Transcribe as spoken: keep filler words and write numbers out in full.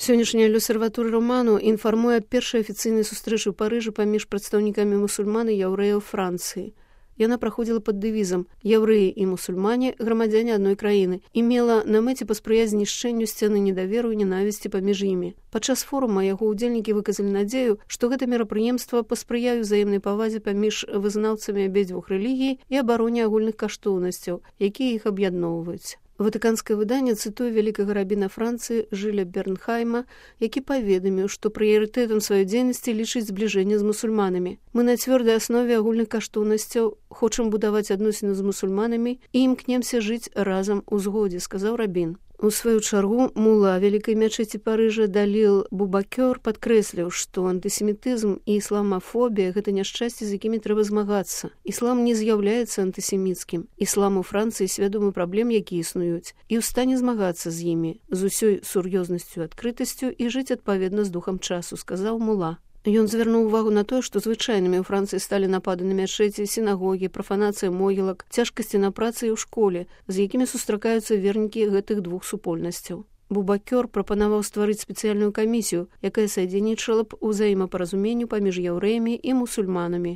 Сённяшняя L'Osservatore Romano інфармуе аб першай афіцыйнай сустрэчы ў Парыжы паміж прадстаўнікамі мусульман і яўрэяў Францыі. Яна праходзіла пад дэвізам «Яўрэі і мусульмане – грамадзяне адной краіны» і мела на мэце паспрыяць знішчэнню сцены недаверу і ненавісці паміж імі. Падчас форума яго ўдзельнікі выказалі надзею, што гэта мерапрыемства паспрыяе ўзаемнай павазе паміж вызнаўцамі абедзвюх рэлігій і абароне агульных каштоўнасцяў, якія іх аб'ядноўваюць. Ватыканскае выданне цытуе вялікага рабіна Францыі Жыля Бернхайма, які паведаміў, што прыярытэтам сваёй дзейнасці лічыць збліжэнне з мусульманамі. Мы на цвёрдай аснове агульных каштоўнасцяў хочам будаваць адносіны з мусульманамі і імкнемся жыць разам у згодзе, сказаў рабін. У сваю чаргу мула вялікай мячэці Парыжа Даліл Бубакёр падкрэсліў, што антысемітызм і ісламафобія – гэта няшчасці, з якімі трэба змагацца. Іслам не з'яўляецца антысеміцкім. Іслам у Францыі свядомы праблем, якія існуюць, і ў стане змагацца з імі з усёй сур'ёзнасцю і адкрытасцю і жыць адпаведна з духам часу, сказаў мула. Ён звярнуў увагу на тое, што звычайнымі ў Францыі сталі напады на мячэці, сінагогі, прафанацыя могілак, цяжкасці на працы і ў школе, з якімі сустракаюцца вернікі гэтых двух супольнасцяў. Бубакёр прапанаваў стварыць спецыяльную камісію, якая садзейнічала б узаемапаразуменню паміж яўрэямі і мусульманамі.